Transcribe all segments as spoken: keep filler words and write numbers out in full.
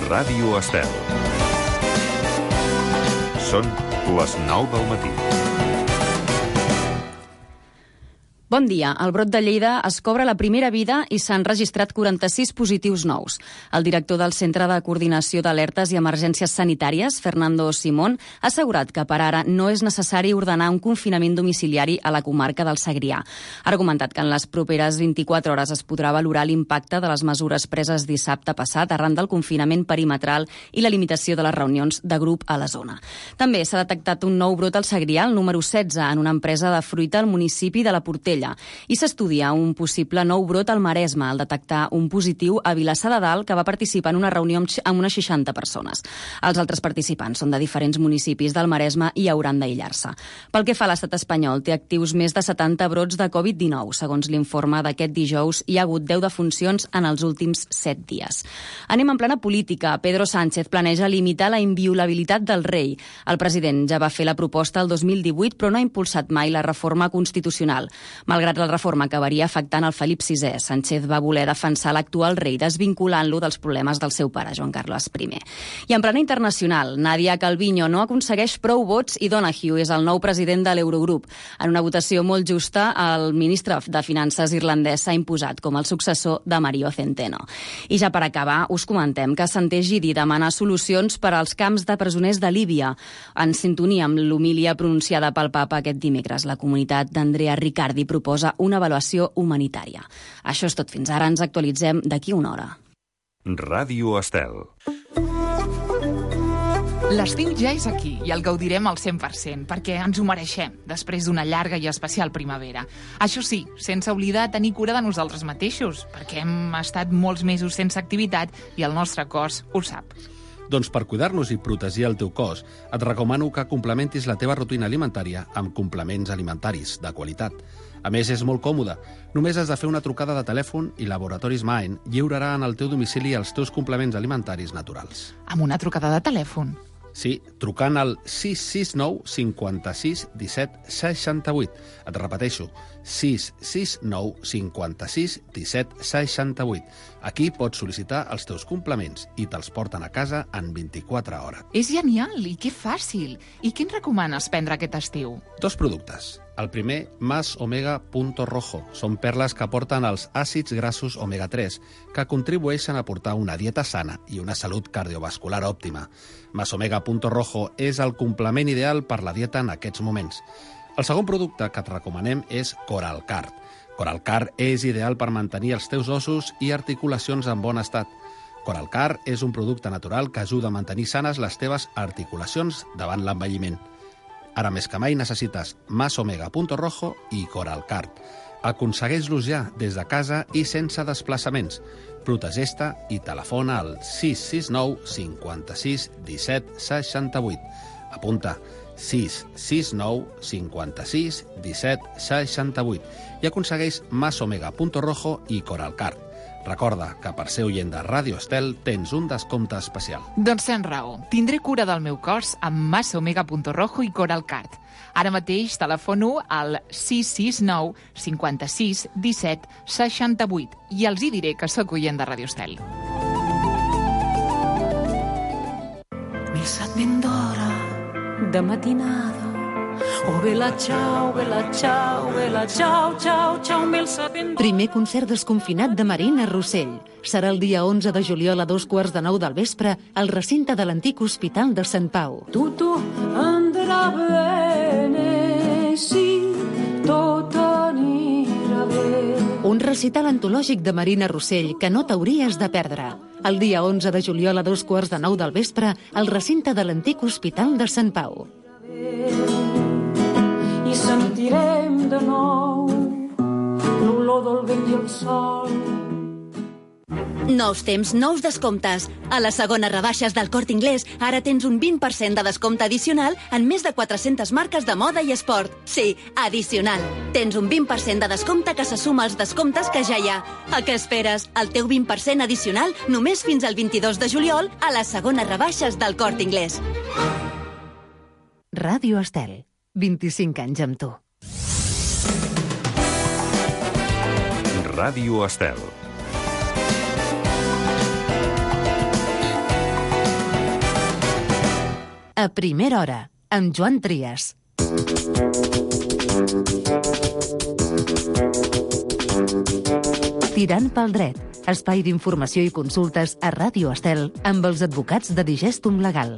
Ràdio Estel. Són les nou del matí. Bon dia. El brot de Lleida es cobra la primera vida i s'han registrat quaranta-sis positius nous. El director del Centre de Coordinació d'Alertes i Emergències Sanitàries, Fernando Simón, ha assegurat que per ara no és necessari ordenar un confinament domiciliari a la comarca del Segrià. Ha argumentat que en les properes vint-i-quatre hores es podrà valorar l'impacte de les mesures preses dissabte passat arran del confinament perimetral i la limitació de les reunions de grup a la zona. També s'ha detectat un nou brot al Segrià, el número setze, en una empresa de fruita al municipi de la Portella. I s'estudia un possible nou brot al Maresme al detectar un positiu a Vilassar de Dalt que va participar en una reunió amb unes seixanta persones. Els altres participants són de diferents municipis del Maresme i hauran d'aïllar-se. Pel que fa a l'estat espanyol, té actius més de setanta brots de covid dinou. Segons l'informe d'aquest dijous, hi ha hagut deu defuncions en els últims set dies. Anem en plena política. Pedro Sánchez planeja limitar la inviolabilitat del rei. El president ja va fer la proposta el dos mil divuit, però no ha impulsat mai la reforma constitucional. Malgrat la reforma acabaria afectant el Felip sisè, Sánchez va voler defensar l'actual rei desvinculant-lo dels problemes del seu pare, Joan Carles primer. I en plana internacional, Nadia Calviño no aconsegueix prou vots i Donahue és el nou president de l'Eurogrup. En una votació molt justa, el ministre de Finances irlandès s'ha imposat com el successor de Mario Centeno. I ja per acabar, us comentem que Santé Gidi demana solucions per als camps de presoners de Líbia. En sintonia amb l'homilia pronunciada pel papa aquest dimecres, la comunitat d'Andrea Riccardi proposa una avaluació humanitària. Això és tot fins ara. Ens actualitzem d'aquí una hora. Ràdio Estel. L'estiu ja és aquí i el gaudirem al cent per cent, perquè ens ho mereixem, després d'una llarga i especial primavera. Això sí, sense oblidar tenir cura de nosaltres mateixos, perquè hem estat molts mesos sense activitat i el nostre cos ho sap. Doncs per cuidar-nos i protegir el teu cos, et recomano que complementis la teva rutina alimentària amb complements alimentaris de qualitat. A més, és molt còmode. Només has de fer una trucada de telèfon i Laboratoris Mind lliurarà en el teu domicili els teus complements alimentaris naturals. Amb una trucada de telèfon? Sí, trucant al sis sis nou cinquanta-sis disset seixanta-vuit. Et repeteixo, sis sis nou cinquanta-sis disset seixanta-vuit. Aquí pots sol·licitar els teus complements i te'ls porten a casa en vint-i-quatre hores. És genial i que fàcil. I què ens recomanes prendre aquest estiu? Dos productes. El primer, Más Omega Punto Rojo. Són perles que aporten els àcids grassos omega tres, que contribueixen a portar una dieta sana i una salut cardiovascular òptima. Más Omega Punto Rojo és el complement ideal per la dieta en aquests moments. El segon producte que et recomanem és Coralcard. Coralcard és ideal per mantenir els teus ossos i articulacions en bon estat. Coralcard és un producte natural que ajuda a mantenir sanes les teves articulacions davant l'envelliment. Ara més que mai necessites Más Omega Punto Rojo i Coralcard. Aconsegueix-los ja des de casa i sense desplaçaments. Protegeix-te i telefona al sis sis nou cinquanta-sis disset seixanta-vuit. Apunta sis sis nou cinquanta-sis disset seixanta-vuit i aconsegueix Más Omega Punto Rojo i Coralcard. Recorda que per ser oient de Ràdio Estel tens un descompte especial. Doncs tens raó. Tindré cura del meu cos amb Más Omega Punto Rojo i Coralcard. Ara mateix telefono al sis sis nou cinquanta-sis disset seixanta-vuit i els hi diré que sóc oient de Ràdio Estel. Missa ben d'hora de matinada. Oh, bella ciao, bella ciao, bella ciao, ciao, ciao, mil setenta. Primer concert desconfinat de Marina Rossell. Serà el dia onze de juliol a dos quarts de nou del vespre al recinte de l'antic Hospital de Sant Pau. Tutto andrà bene, sì, tot anirà bé. Un recital antològic de Marina Rossell que no t'hauries de perdre. El dia onze de juliol a dos quarts de nou del vespre al recinte de l'antic Hospital de Sant Pau. I sentirem de nou l'olor del vent i el sol. Nous temps, nous descomptes. A les segones rebaixes del Corte Inglés ara tens un vint per cent de descompte addicional en més de quatre-centes marques de moda i esport. Sí, addicional. Tens un vint per cent de descompte que se suma als descomptes que ja hi ha. A què esperes? El teu vint per cent addicional només fins al vint-i-dos de juliol a les segones rebaixes del Corte Inglés. Ràdio Estel. vint-i-cinc anys amb tu. Ràdio Estel. A primera hora, amb Joan Trias. Tirant pel dret, espai d'informació i consultes a Ràdio Estel amb els advocats de Digestum Legal.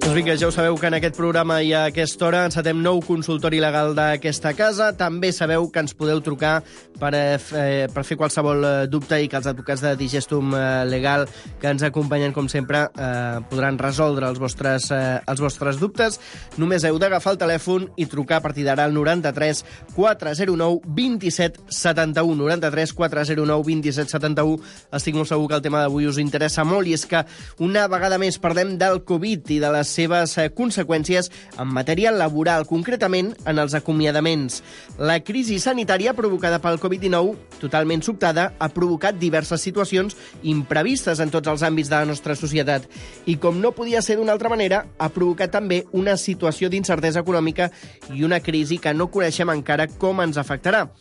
Doncs vinga, ja ho sabeu que en aquest programa i a aquesta hora encetem nou consultori legal d'aquesta casa. També sabeu que ens podeu trucar per, eh, per fer qualsevol dubte i que els advocats de Digestum Legal que ens acompanyen, com sempre, eh, podran resoldre els vostres, eh, els vostres dubtes. Només heu d'agafar el telèfon i trucar a partir d'ara al noranta-tres quatre zero nou vint-i-set setanta-u. noranta-tres quatre zero nou vint-i-set setanta-u. Estic molt segur que el tema d'avui us interessa molt i és que una vegada més parlem del Covid i de les seves conseqüències en matèria laboral, concretament en els acomiadaments. La crisi sanitària provocada pel covid dinou, totalment sobtada, ha provocat diverses situacions imprevistes en tots els àmbits de la nostra societat i, com no podia ser d'una altra manera, ha provocat també una situació d'incertesa econòmica i una crisi que no coneixem encara com ens afectarà.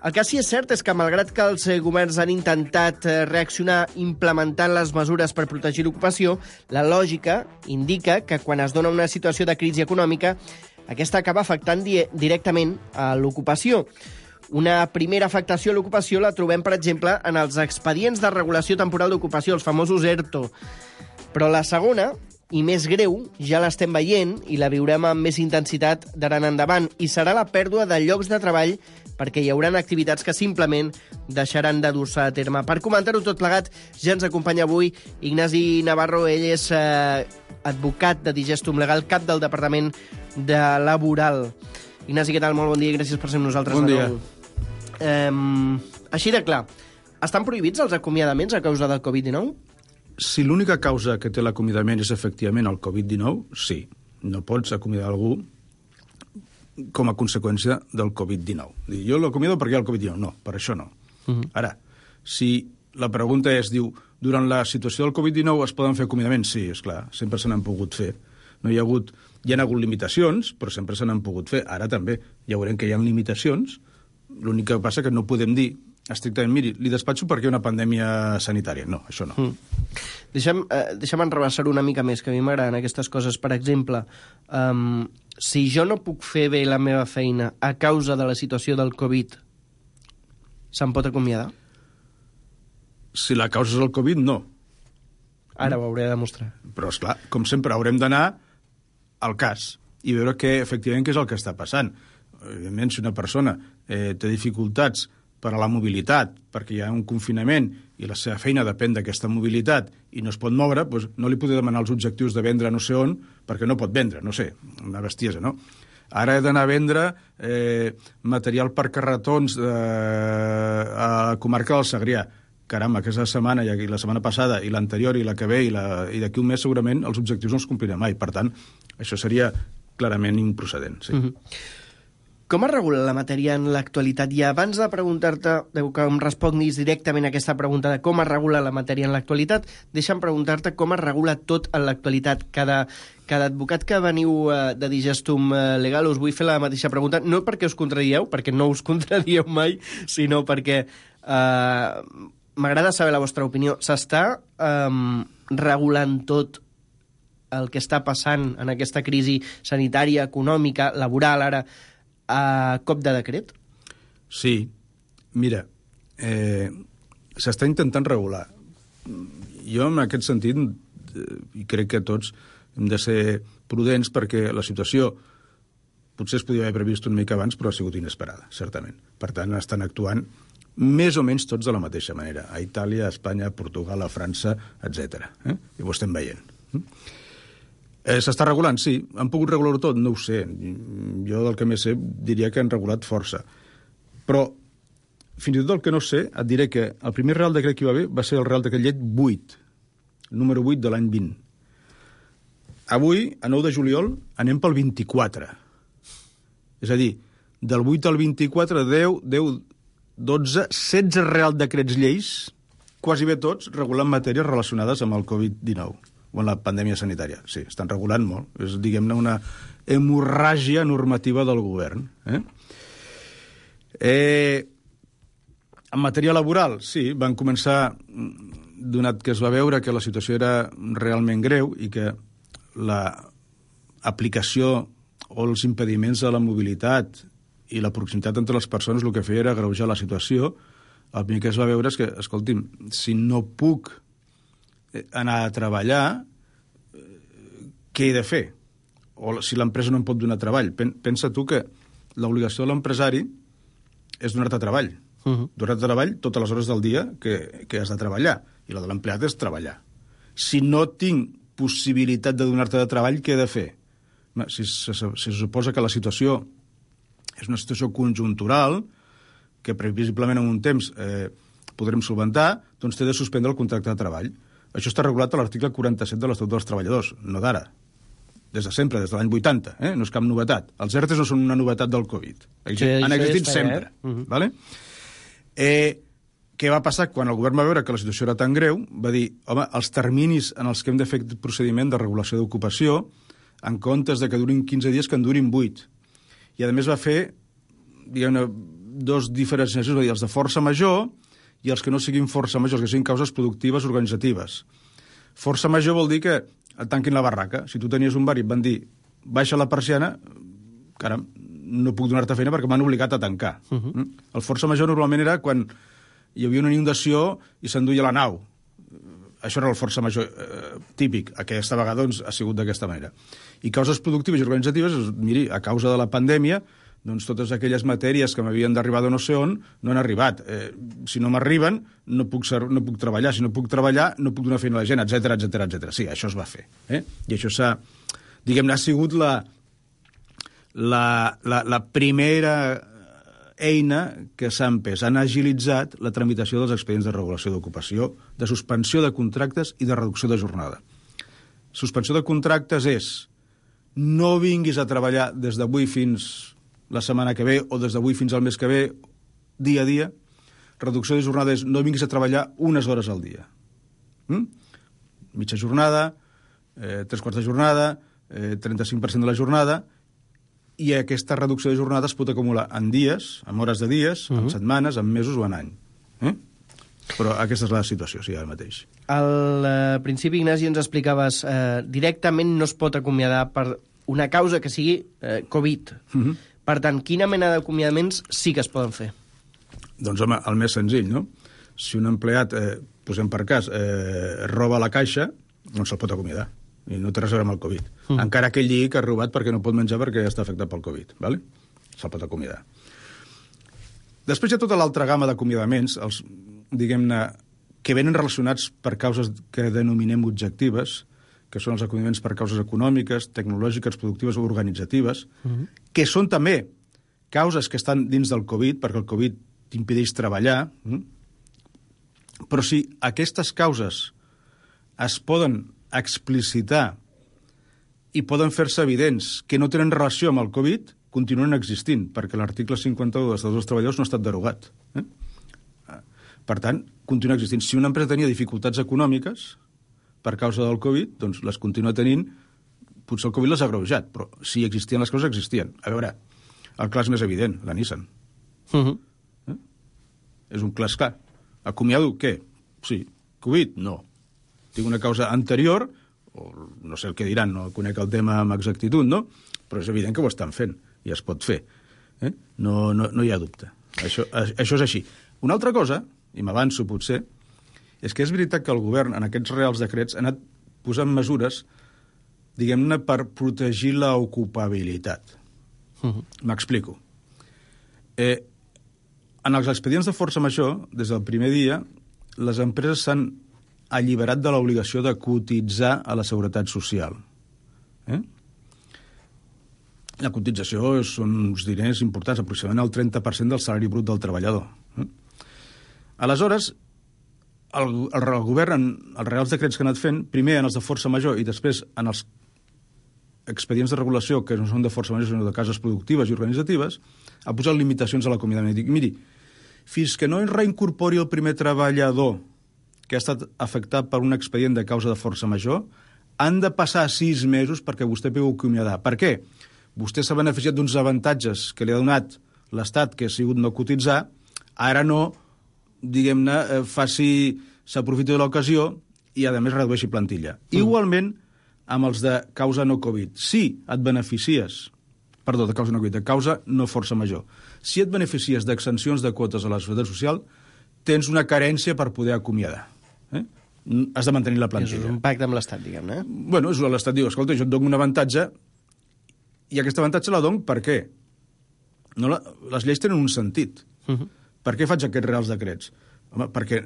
El que sí és cert és que, malgrat que els governs han intentat reaccionar implementant les mesures per protegir l'ocupació, la lògica indica que quan es dona una situació de crisi econòmica, aquesta acaba afectant di- directament a l'ocupació. Una primera afectació a l'ocupació la trobem, per exemple, en els expedients de regulació temporal d'ocupació, els famosos ERTO. Però la segona, i més greu, ja l'estem veient i la viurem amb més intensitat d'ara en endavant, i serà la pèrdua de llocs de treball perquè hi haurà activitats que simplement deixaran de dur-se a terme. Per comentar-ho tot plegat, ja ens acompanya avui Ignasi Navarro. Ell és eh, advocat de Digestum Legal, cap del Departament de Laboral. Ignasi, què tal? Molt bon dia i gràcies per ser amb nosaltres. Bon dia. Eh, així de clar, estan prohibits els acomiadaments a causa del covid dinou? Si l'única causa que té l'acomiadament és efectivament el covid dinou, sí. No pots acomiadar algú com a conseqüència del covid dinou. Jo l'acomiado perquè hi ha el covid dinou. No, per això no. Uh -huh. Ara, si la pregunta és, diu, durant la situació del covid dinou es poden fer acomiadaments? Sí, és clar, sempre se n'han pogut fer. No hi ha hagut, hi ha hagut limitacions, però sempre se n'han pogut fer. Ara també ja veurem que hi ha limitacions. L'únic que passa que no podem dir estrictament, miri, li despatxo perquè hi ha una pandèmia sanitària. No, això no. Mm. Deixa'm, eh, deixa'm enrebaçar una mica més, que a mi m'agraden aquestes coses. Per exemple, um, si jo no puc fer bé la meva feina a causa de la situació del Covid, se'm pot acomiadar? Si la causa és el Covid, no. Ara ho hauré de demostrar. Però, esclar, com sempre, haurem d'anar al cas i veure què, efectivament, què és el que està passant. Evidentment, si una persona eh, té dificultats per a la mobilitat, perquè hi ha un confinament i la seva feina depèn d'aquesta mobilitat i no es pot moure, doncs no li podré demanar els objectius de vendre no sé on, perquè no pot vendre, no sé, una bestiesa, no? Ara he d'anar a vendre eh, material per carretons eh, a la comarca del Segrià. Caram, aquesta setmana, i la setmana passada, i l'anterior, i la que ve, i, la, i d'aquí un mes, segurament, els objectius no els complirem mai. Per tant, això seria clarament improcedent, sí. Uh-huh. Com es regula la matèria en l'actualitat? I abans de preguntar-te, que em responguis directament a aquesta pregunta de com es regula la matèria en l'actualitat, deixa'm preguntar-te com es regula tot en l'actualitat. Cada, cada advocat que veniu uh, de Digestum Legal us vull fer la mateixa pregunta, no perquè us contradieu, perquè no us contradieu mai, sinó perquè uh, m'agrada saber la vostra opinió. S'està um, regulant tot el que està passant en aquesta crisi sanitària, econòmica, laboral, ara, a cop de decret? Sí. Mira, eh, s'està intentant regular. Jo, en aquest sentit, eh, i crec que tots hem de ser prudents perquè la situació potser es podia haver previst una mica abans, però ha sigut inesperada, certament. Per tant, estan actuant més o menys tots de la mateixa manera. A Itàlia, a Espanya, a Portugal, a França, etcètera. Eh? I ho estem veient. Eh, S'està regulant? Sí. Han pogut regular-ho tot? No ho sé. Jo, del que més sé, diria que han regulat força. Però, fins i tot el que no sé, et diré que el primer Real Decret que hi va haver va ser el Real Decret Llei vuit, el número vuit de l'any vint. Avui, a nou de juliol, anem pel vint-i-quatre. És a dir, del vuit al vint-i-quatre, deu, deu, dotze, setze Real Decrets Lleis, quasi bé tots, regulant matèries relacionades amb el covid dinou. O en la pandèmia sanitària. Sí, estan regulant molt. És, diguem-ne, una hemorràgia normativa del govern. Eh? Eh, en matèria laboral, sí, van començar donat que es va veure que la situació era realment greu i que l'aplicació o els impediments de la mobilitat i la proximitat entre les persones el que feia era agreujar la situació, el primer que es va veure és que, escolti'm, si no puc anar a treballar, què he de fer? O si l'empresa no em pot donar treball. Pensa tu que l'obligació de l'empresari és donar-te treball. Uh-huh. Donar-te treball totes les hores del dia que, que has de treballar. I la de l'empleat és treballar. Si no tinc possibilitat de donar-te de treball, què he de fer? Si se, se, se suposa que la situació és una situació conjuntural, que previsiblement en un temps eh, podrem solventar, doncs té de suspendre el contracte de treball. Això està regulat a l'article quaranta-set de l'Estatut dels Treballadors, no d'ara. Des de sempre, des de l'any vuitanta, eh? No és cap novetat. Els ERTEs no són una novetat del Covid. Sí, han existit sempre. Eh? Uh-huh. Vale? Eh, què va passar? Quan el govern va veure que la situació era tan greu, va dir, home, els terminis en els que hem de fer aquest procediment de regulació d'ocupació, en comptes de que durin quinze dies, que en durin vuit. I, a més, va fer, diguem-ne, dos diferenciacions, va dir, els de força major i els que no siguin força major, els que siguin causes productives organitzatives. Força major vol dir que et tanquin la barraca. Si tu tenies un bar i et van dir baixa la persiana, caram, no puc donar-te feina perquè m'han obligat a tancar. Uh-huh. El força major normalment era quan hi havia una inundació i s'enduia la nau. Això era el força major eh, típic. Aquesta vegada doncs, ha sigut d'aquesta manera. I causes productives i organitzatives, miri, a causa de la pandèmia, doncs totes aquelles matèries que m'havien d'arribar de no sé on no han arribat. Eh, si no m'arriben, no puc, ser, no puc treballar. Si no puc treballar, no puc donar feina a la gent, etcètera, etcètera, etcètera. Sí, això es va fer. Eh? I això s'ha, diguem-ne, ha sigut la, la, la, la primera eina que s'ha empès. Han agilitzat la tramitació dels expedients de regulació d'ocupació, de suspensió de contractes i de reducció de jornada. Suspensió de contractes és no vinguis a treballar des d'avui fins la setmana que ve o des d'avui fins al mes que ve, dia a dia. Reducció de jornada és no vinguis a treballar unes hores al dia. Mm? Mitja jornada, eh, tres quarts de jornada, eh, trenta-cinc per cent de la jornada, i aquesta reducció de jornada es pot acumular en dies, en hores de dies, uh-huh. en setmanes, en mesos o en any. Eh? Però aquesta és la situació, sí, ara mateix. Al eh, principi, Ignasi, ens explicaves eh, directament no es pot acomiadar per una causa que sigui eh, Covid. Uh-huh. Per tant, quina mena d'acomiadaments sí que es poden fer? Doncs, home, el més senzill, no? Si un empleat, eh, posem per cas, eh, roba la caixa, no se'l pot acomiadar. I no té res a veure amb el Covid. Mm. Encara que ell digui que ha robat perquè no pot menjar perquè està afectat pel Covid. ¿Vale? Se'l pot acomiadar. Després hi ha tota l'altra gamma d'acomiadaments, els, diguem-ne, que venen relacionats per causes que denominem objectives, que són els acomiadaments per causes econòmiques, tecnològiques, productives o organitzatives, mm-hmm. que són també causes que estan dins del Covid, perquè el Covid t'impedeix treballar, mm? Però si aquestes causes es poden explicitar i poden fer-se evidents que no tenen relació amb el Covid, continuen existint, perquè l'article cinquanta-u de l'Estatut dels Treballadors no ha estat derogat. Eh? Per tant, continua existint. Si una empresa tenia dificultats econòmiques per causa del Covid, doncs les continua tenint, potser el Covid les ha agreujat, però si existien les coses, existien. A veure, el cas més evident, la Nissan. Uh-huh. Eh? És un cas clar. Acomiado què? Sí. Covid? No. Tinc una causa anterior, o no sé el que diran, no conec el tema amb exactitud, no? Però és evident que ho estan fent, i es pot fer. Eh? No, no, no hi ha dubte. Això, això és així. Una altra cosa, i m'avanço potser, és que és veritat que el govern, en aquests reals decrets, ha anat posant mesures, diguem-ne, per protegir l'ocupabilitat. Uh-huh. M'explico. Eh, en els expedients de força major, des del primer dia, les empreses s'han alliberat de l'obligació de cotitzar a la Seguretat Social. Eh? La cotització són uns diners importants, aproximadament el trenta per cent del salari brut del treballador. Eh? Aleshores, el, el, el govern, en els reals decrets que ha anat fent, primer en els de força major i després en els expedients de regulació, que no són de força major, sinó de cases productives i organitzatives, ha posat limitacions a l'acomiadament. Dic, miri, fins que no es reincorpori el primer treballador que ha estat afectat per un expedient de causa de força major, han de passar sis mesos perquè vostè pugui acomiadar. Per què? Vostè s'ha beneficiat d'uns avantatges que li ha donat l'Estat, que ha sigut no cotitzar, ara no, diguem-ne, faci s'aprofiti de l'ocasió i, a més, redueixi plantilla. Mm. Igualment, amb els de causa no Covid. Si et beneficies, perdó, de causa no Covid, de causa no força major, si et beneficies d'extensions de quotes a la Seguretat Social, tens una carència per poder acomiadar. Eh? Has de mantenir la plantilla. És un pacte amb l'Estat, diguem-ne. Eh? Bueno, l'Estat diu, escolta, jo et dono un avantatge i aquest avantatge la dono per què? No la, les lleis tenen un sentit. Uh -huh. Per què faig aquests reals decrets? Home, perquè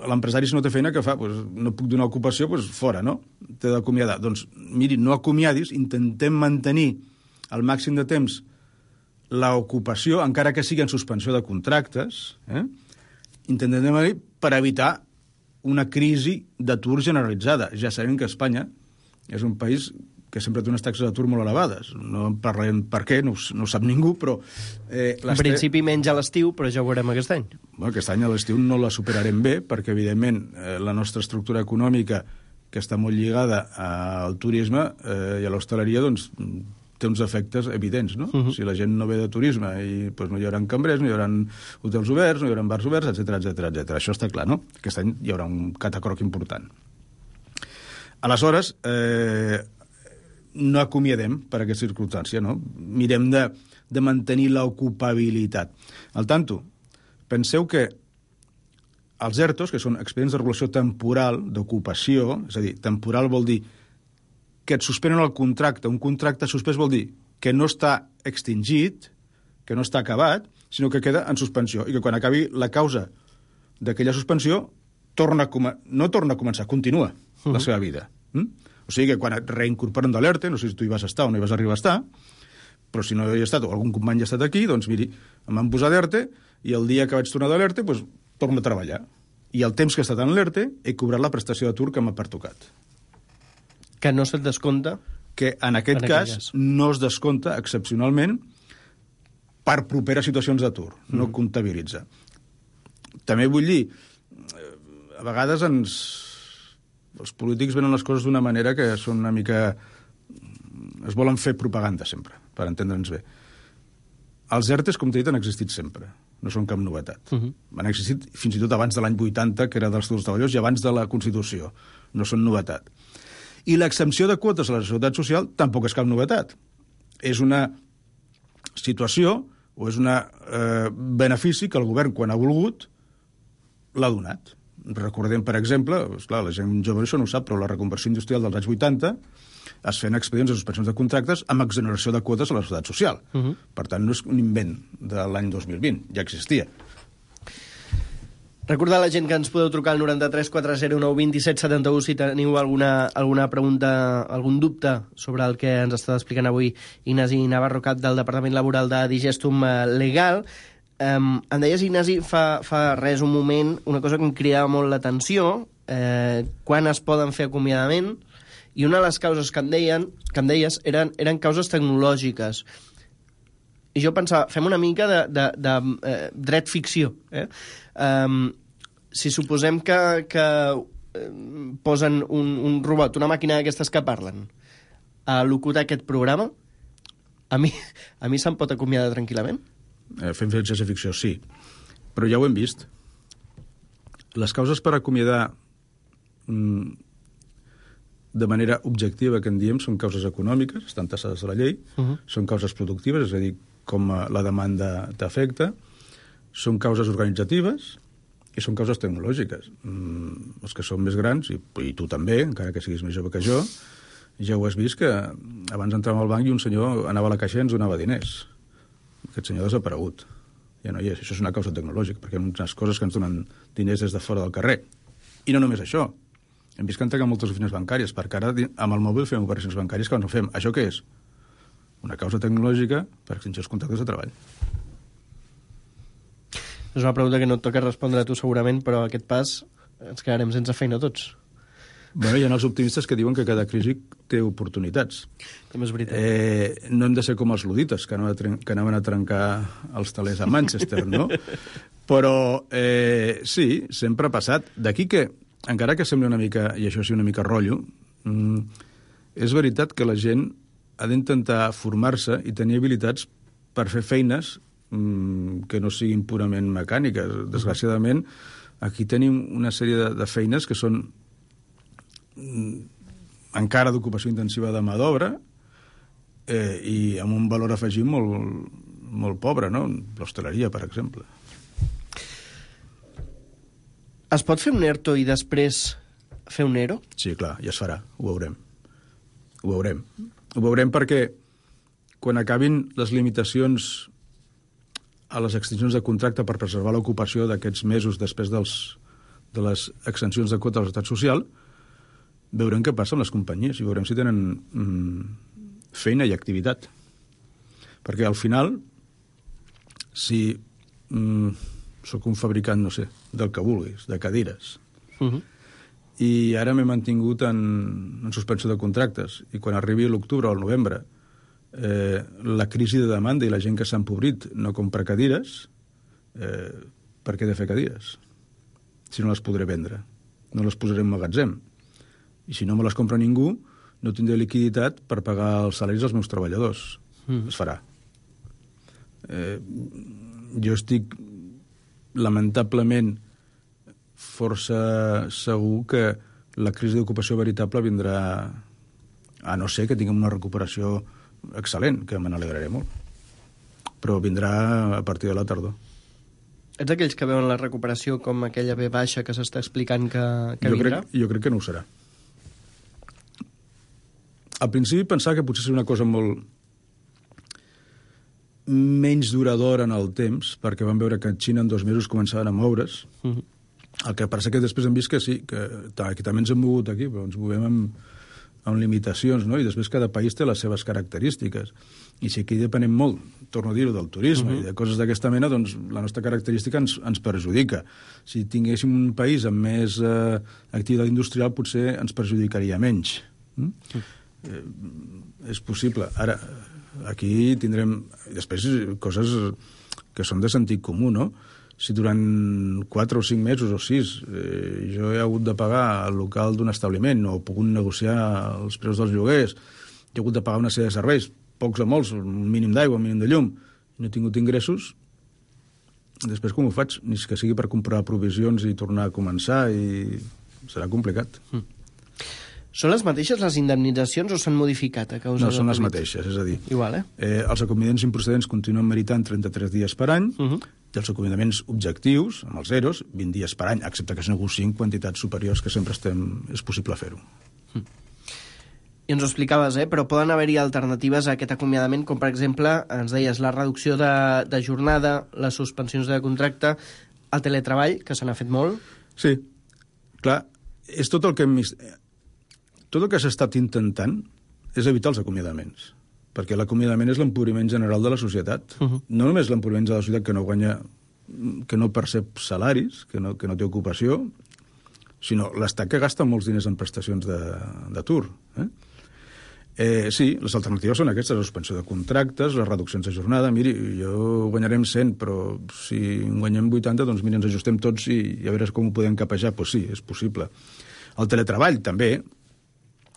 l'empresari, si no té feina, que fa? Pues, no puc donar ocupació, pues, fora, no? T'he d'acomiadar. Doncs, miri, no acomiadis, intentem mantenir al màxim de temps l'ocupació, encara que sigui en suspensió de contractes, eh? intentem mantenir per evitar una crisi d'atur generalitzada. Ja sabem que Espanya és un país que sempre té unes taxes d'atur molt elevades. No en parlem per què, no, no ho sap ningú, però... Eh, en principi menys a l'estiu, però ja ho veurem aquest any. Bueno, aquest any a l'estiu no la superarem bé, perquè, evidentment, eh, la nostra estructura econòmica, que està molt lligada al turisme eh, i a l'hostaleria, doncs, té uns efectes evidents, no? Uh -huh. Si la gent no ve de turisme, i, doncs, no hi haurà cambrers, no hi haurà hotels oberts, no hi haurà bars oberts, etcètera, etcètera, etcètera. Això està clar, no? Aquest any hi haurà un catacroc important. Aleshores, eh, no acomiadem per aquesta circumstància, no? Mirem de, de mantenir l'ocupabilitat. Al tanto, penseu que els ERTOs, que són expedients de regulació temporal d'ocupació, és a dir, temporal vol dir que et suspenen el contracte. Un contracte suspès vol dir que no està extingit, que no està acabat, sinó que queda en suspensió, i que quan acabi la causa d'aquella suspensió torna a no torna a començar, continua uh-huh. la seva vida. Mm? O sigui que quan et reincorporen de l'E R T E, no sé si tu hi vas estar o no hi vas arribar a estar, però si no hi he estat o algun company hi ha estat aquí, doncs miri, em van posar d'E R T E i el dia que vaig tornar de l'E R T E, doncs torno a treballar. I el temps que he estat en l'E R T E he cobrat la prestació d'atur que m'ha pertocat. Que no se't descompta? Que en aquest en cas, cas no es descompta excepcionalment per properes situacions d'atur, no mm. comptabilitza. També vull dir, a vegades ens... els polítics venen les coses d'una manera que són una mica... es volen fer propaganda sempre, per entendre'ns bé. Els E R T Es, com t'he dit, han existit sempre. No són cap novetat. Uh -huh. Han existit fins i tot abans de l'any vuitanta, que era dels treballadors, i abans de la Constitució. No són novetat. I l'exempció de quotes a la Seguretat Social tampoc és cap novetat. És una situació o és un eh, benefici que el govern, quan ha volgut, l'ha donat. Recordem, per exemple, esclar, la gent jove això no ho sap, però la reconversió industrial dels anys vuitanta es feien expedients de suspensions de contractes amb exoneració de quotes a la Seguretat Social. Uh -huh. Per tant, no és un invent de l'any dos mil vint, ja existia. Recordar a la gent que ens podeu trucar al noranta-tres quatre zero nou vint set setanta u si teniu alguna, alguna pregunta, algun dubte sobre el que ens està explicant avui Ignasi Navarro, cap del Departament Laboral de Digestum Legal. Um, em deies, Ignasi, fa, fa res un moment, una cosa que em cridava molt l'atenció, eh, quan es poden fer acomiadament, i una de les causes que em, deien, que em deies eren, eren causes tecnològiques. I jo pensava, fem una mica de, de, de eh, dret ficció. Eh? Um, si suposem que, que eh, posen un, un robot, una màquina d'aquestes que parlen, a locutar aquest programa, a mi, a mi se'm pot acomiadar tranquil·lament? Eh, fem ciència ficció, sí. Però ja ho hem vist. Les causes per acomiadar mm, de manera objectiva, que en diem, són causes econòmiques, estan tassades a la llei, uh -huh. són causes productives, és a dir, com la demanda t'afecta, són causes organitzatives i són causes tecnològiques. Mm, els que són més grans, i, i tu també, encara que siguis més jove que jo, ja ho has vist que abans entràvem al banc i un senyor anava a la caixa i ens donava diners. Aquest senyor ha desaparegut. Ja no hi és. Això és una causa tecnològica, perquè hi ha unes coses que ens donen diners des de fora del carrer. I no només això. Hem vist que han tancat moltes oficines bancàries, perquè ara amb el mòbil fem operacions bancàries que abans no fem. Això què és? Una causa tecnològica per extingir els contractes de treball. És una pregunta que no et toca respondre a tu segurament, però aquest pas ens quedarem sense feina tots. Bueno, hi ha els optimistes que diuen que cada crisi té oportunitats. També és veritat. Eh, no hem de ser com els ludites, que anaven a, tren- que anaven a trencar els telers a Manchester, no? Però eh, sí, sempre ha passat. D'aquí que, encara que sembli una mica, i això sí una mica rotllo, mm, és veritat que la gent ha d'intentar formar-se i tenir habilitats per fer feines mm, que no siguin purament mecàniques. Desgraciadament, aquí tenim una sèrie de, de feines que són encara d'ocupació intensiva de mà d'obra eh, i amb un valor afegit molt, molt pobre, no? L'hostaleria, per exemple. Es pot fer un ERTO i després fer un ERO? Sí, clar, ja es farà, ho veurem. Ho veurem. Ho veurem perquè quan acabin les limitacions a les extincions de contracte per preservar l'ocupació d'aquests mesos després dels, de les extensions de quota de la Seguretat Social, veurem què passa amb les companyies i veurem si tenen mm, feina i activitat. Perquè al final, si mm, sóc un fabricant, no sé, del que vulguis, de cadires, uh-huh. i ara m'he mantingut en, en suspensió de contractes, i quan arribi l'octubre o el novembre eh, la crisi de demanda i la gent que s'ha empobrit no compra cadires, eh, per què he de fer cadires? Si no les podré vendre. No les posaré en magatzem. I si no me les compra ningú, no tindré liquiditat per pagar els salaris dels meus treballadors. Mm. Es farà. Eh, jo estic lamentablement força segur que la crisi d'ocupació veritable vindrà, a no ser que tinguem una recuperació excel·lent, que me n'alegraré molt. Però vindrà a partir de la tardor. Ets aquells que veuen la recuperació com aquella ve baixa que s'està explicant que, que jo vindrà? Crec, jo crec que no ho serà. Al principi pensava que potser seria una cosa molt menys duradora en el temps, perquè vam veure que a Xina en dos mesos començaven a moure's. Uh-huh. El que passa que després hem vist que sí, que, que també ens hem mogut aquí, però ens movem amb, amb limitacions, no? I després cada país té les seves característiques. I si aquí depenem molt, torno a dir-ho, del turisme uh-huh. i de coses d'aquesta mena, doncs la nostra característica ens, ens perjudica. Si tinguéssim un país amb més eh, activitat industrial, potser ens perjudicaria menys. Mm? Uh-huh. Eh, és possible. Ara, aquí tindrem després coses que són de sentit comú, no? Si durant quatre o cinc mesos o sis eh, jo he hagut de pagar el local d'un establiment o he pogut negociar els preus dels lloguers, he hagut de pagar una sèrie de serveis, pocs o molts, un mínim d'aigua, un mínim de llum, i no he tingut ingressos, després com ho faig? Ni que sigui per comprar provisions i tornar a començar, i serà complicat. Mm. Són les mateixes les indemnitzacions o s'han modificat a causa No, de són les Covid? mateixes, és a dir... Igual, eh? eh els acomiadaments improcedents continuen meritant trenta-tres dies per any, uh-huh. i els acomiadaments objectius, amb els zeros, vint dies per any, excepte que es negociïn quantitats superiors, que sempre estem, és possible fer-ho. Mm. I ens ho explicaves, eh? Però poden haver-hi alternatives a aquest acomiadament, com per exemple, ens deies, la reducció de, de jornada, les suspensions de contracte, el teletreball, que se n'ha fet molt. Sí, clar, és tot el que hem... Tot el que s'ha estat intentant és evitar els acomiadaments, perquè l'acomiadament és l'empobriment general de la societat. Uh-huh. No només l'empobriment de la societat que no guanya, que no percep salaris, que no, que no té ocupació, sinó l'estat que gasta molts diners en prestacions d'atur. Eh? Eh, sí, les alternatives són aquestes, la suspensió de contractes, les reduccions de jornada. Miri, jo guanyarem cent, però si en guanyem vuitanta, doncs mira, ens ajustem tots i, i a veure com ho podem capejar. Doncs pues sí, és possible. El teletreball, també.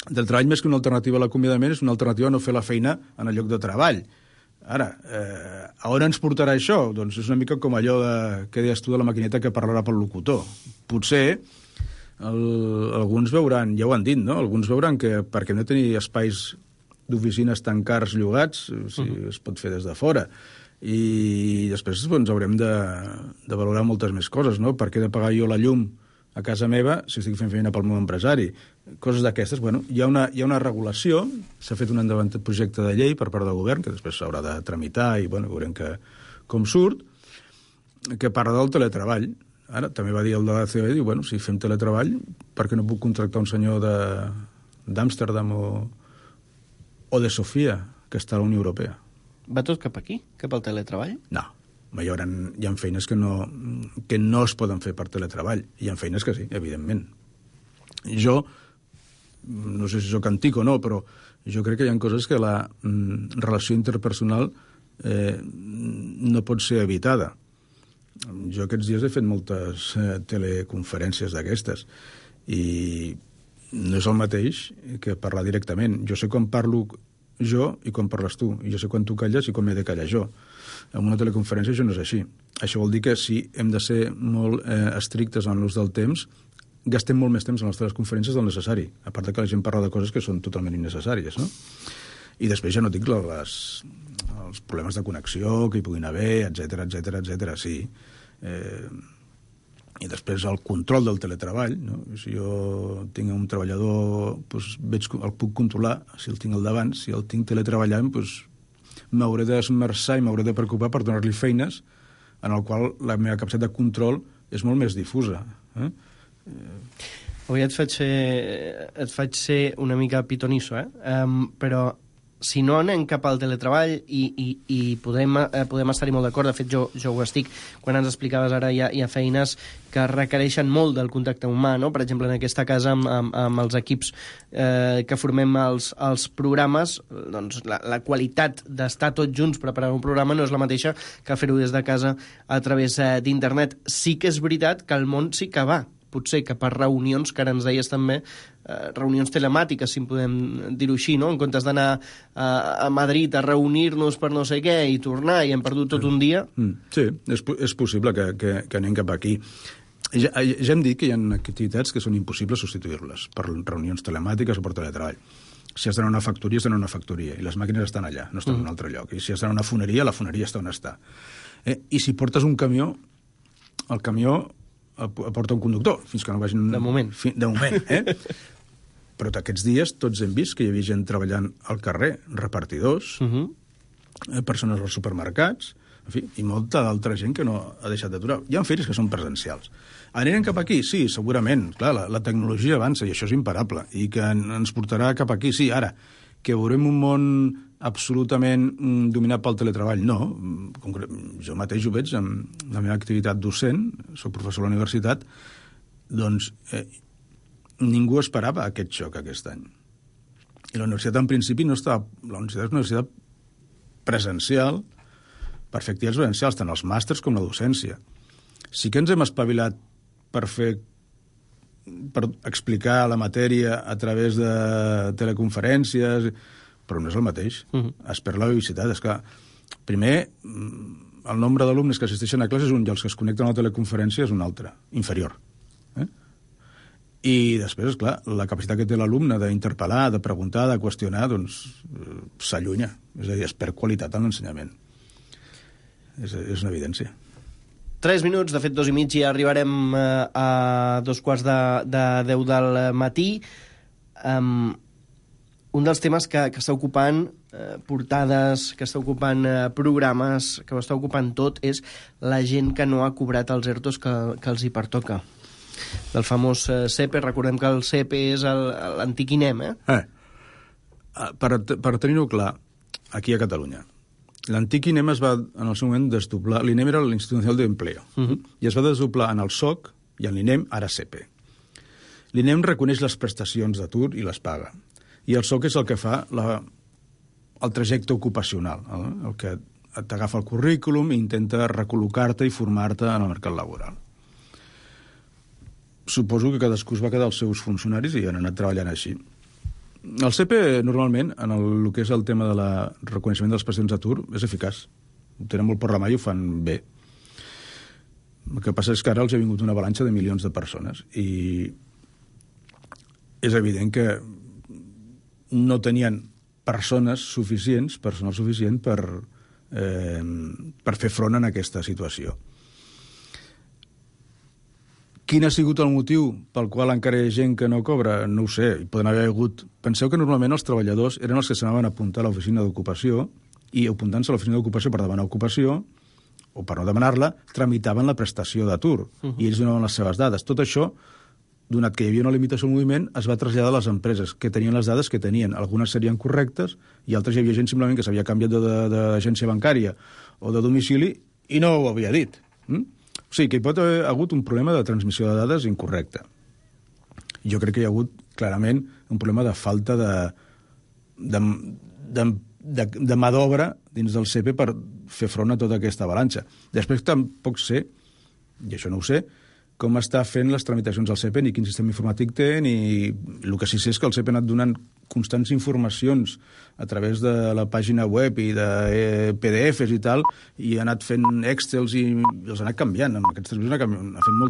Del treball, més que una alternativa a l'acomiadament, és una alternativa a no fer la feina en el lloc de treball. Ara, eh, a on ens portarà això? Doncs és una mica com allò de, que deies tu de la maquineta que parlarà pel locutor. Potser el, alguns veuran, ja ho han dit, no? Alguns veuran que perquè no tenir espais d'oficines tan cars llogats, si uh-huh. es pot fer des de fora. I després doncs, haurem de, de valorar moltes més coses, no? Per què he de pagar jo la llum a casa meva si estic fent feina pel meu empresari? Coses d'aquestes. Bueno, hi ha una, hi ha una regulació, s'ha fet un endavant projecte de llei per part del govern, que després s'haurà de tramitar i bueno, veurem que, com surt, que parla del teletreball. Ara, també va dir el de la C O E, diu, bueno, si fem teletreball, per què no puc contractar un senyor d'Amsterdam o, o de Sofia, que està a la Unió Europea? Va tot cap aquí? Cap al teletreball? No. Hi ha, hi ha feines que no, que no es poden fer per teletreball. Hi ha feines que sí, evidentment. Jo, no sé si sóc antic o no, però jo crec que hi ha coses que la mm, relació interpersonal eh, no pot ser evitada. Jo aquests dies he fet moltes eh, teleconferències d'aquestes i no és el mateix que parlar directament. Jo sé quan parlo jo i quan parles tu, i jo sé quan tu calles i quan m'he de callar jo. En una teleconferència això no és així. això vol dir que si hem de ser molt eh, estrictes en l'ús del temps, gastem molt més temps en les teleconferències del necessari, a part de que la gent parla de coses que són totalment innecessàries, no? I després ja no dic les, els problemes de connexió que hi puguin haver, etcètera, etcètera, etcètera, sí. Eh, I després el control del teletreball, no? Si jo tinc un treballador, doncs veig, el puc controlar, si el tinc al davant, si el tinc teletreballant, doncs m'hauré d'esmerçar i m'hauré de preocupar per donar-li feines en el qual la meva capacitat de control és molt més difusa. Eh? Avui et faig ser, et faig ser una mica pitonisso, eh? Um, però si no anem cap al teletreball i, i, i podem, eh, podem estar-hi molt d'acord, de fet jo, jo ho estic, quan ens explicaves ara hi ha, hi ha feines que requereixen molt del contacte humà, no? Per exemple, en aquesta casa amb, amb, amb els equips eh, que formem els, els programes, doncs la, la qualitat d'estar tots junts preparant un programa no és la mateixa que fer-ho des de casa a través eh, d'internet. Sí que és veritat que el món sí que va, potser que per reunions, que ara ens deies també, eh, reunions telemàtiques, si en podem dir-ho així, no? En comptes d'anar a, a Madrid a reunir-nos per no sé què i tornar i hem perdut tot un dia. Mm, sí, és, és possible que, que, que anem cap aquí. Ja, ja hem dit que hi ha activitats que són impossibles substituir-les per reunions telemàtiques o per teletreball. Si has d'anar a una factoria, has d'anar a una factoria, i les màquines estan allà, no estan mm. en un altre lloc. I si has d'anar a una foneria, la foneria està on està. Eh? I si portes un camió, el camió porta un conductor, fins que no vagin... De moment. Fi, de moment, eh? Però aquests dies tots hem vist que hi havia gent treballant al carrer, repartidors, uh-huh. eh, persones als supermercats, en fi, i molta d'altra gent que no ha deixat d'aturar. Hi ha feites que són presencials. Anirem cap aquí? Sí, segurament. Clar, la, la tecnologia avança i això és imparable, i que ens portarà cap aquí. Sí, ara, que veurem un món absolutament dominat pel teletreball, no. Jo mateix ho veig amb la meva activitat docent, soc professor a la universitat, doncs eh, ningú esperava aquest xoc aquest any. I la universitat en principi no estava... La universitat és una universitat presencial per fer activitats presencials, tant els màsters com la docència. Sí que ens hem espavilat per fer per explicar la matèria a través de teleconferències, però no és el mateix. Uh-huh. Es perd la vivicitat. És que, primer, el nombre d'alumnes que assisteixen a classes és un, i els que es connecten a la teleconferència és un altre, inferior. Eh? I després, esclar, la capacitat que té l'alumne d'interpel·lar, de preguntar, de qüestionar, doncs s'allunya. És a dir, es perd qualitat en l'ensenyament. És, és una evidència. Tres minuts, de fet dos i mig, i arribarem eh, a dos quarts de, de deu del matí. Um, un dels temes que, que està ocupant eh, portades, que està ocupant eh, programes, que ho està ocupant tot, és la gent que no ha cobrat els ERTOs que, que els hi pertoca. Del famós eh, SEPE, recordem que el SEPE és l'antic INEM, eh? eh per per tenir-ho clar, aquí a Catalunya, l'antic INEM es va, en el seu moment, desdoblar. L'INEM era l'Institut Nacional de Empleo, uh-huh. i es va desdoblar en el SOC i en l'INEM, ara SEPE. L'INEM reconeix les prestacions d'atur i les paga. I el SOC és el que fa la, el trajecte ocupacional, el, el que t'agafa el currículum i intenta recol·locar-te i formar-te en el mercat laboral. Suposo que cadascú es va quedar els seus funcionaris i han anat treballant així. El SEPE, normalment, en el, el que és el tema del reconeixement de les prestacions d'atur, és eficaç. Ho tenen molt per la mà i ho fan bé. El que passa és que ara els ha vingut una avalanxa de milions de persones i és evident que no tenien persones suficients, personal suficient per, eh, per fer front en aquesta situació. Quin ha sigut el motiu pel qual encara hi ha gent que no cobra? No ho sé, hi poden haver hagut... Penseu que normalment els treballadors eren els que s'anaven a apuntar a l'oficina d'ocupació i apuntant-se a l'oficina d'ocupació per demanar ocupació o per no demanar-la, tramitaven la prestació d'atur uh-huh. i ells donaven les seves dades. Tot això, donat que hi havia una limitació al moviment, es va traslladar a les empreses, que tenien les dades que tenien. Algunes serien correctes i altres hi havia gent simplement que s'havia canviat d'agència bancària o de domicili i no ho havia dit. Mm? O sigui, que hi pot haver hagut un problema de transmissió de dades incorrecte. Jo crec que hi ha hagut, clarament, un problema de falta de, de, de, de, de mà d'obra dins del SEPE per fer front a tota aquesta avalanxa. Després tampoc sé, i això no ho sé, com està fent les tramitacions del C E P, ni quin sistema informàtic té, ni... El que sí sé és que el C E P ha anat donant constants informacions a través de la pàgina web i de P D Efes i tal, i ha anat fent Excels i els ha anat canviant. En aquests tres mesos ha, canviat, ha fet molta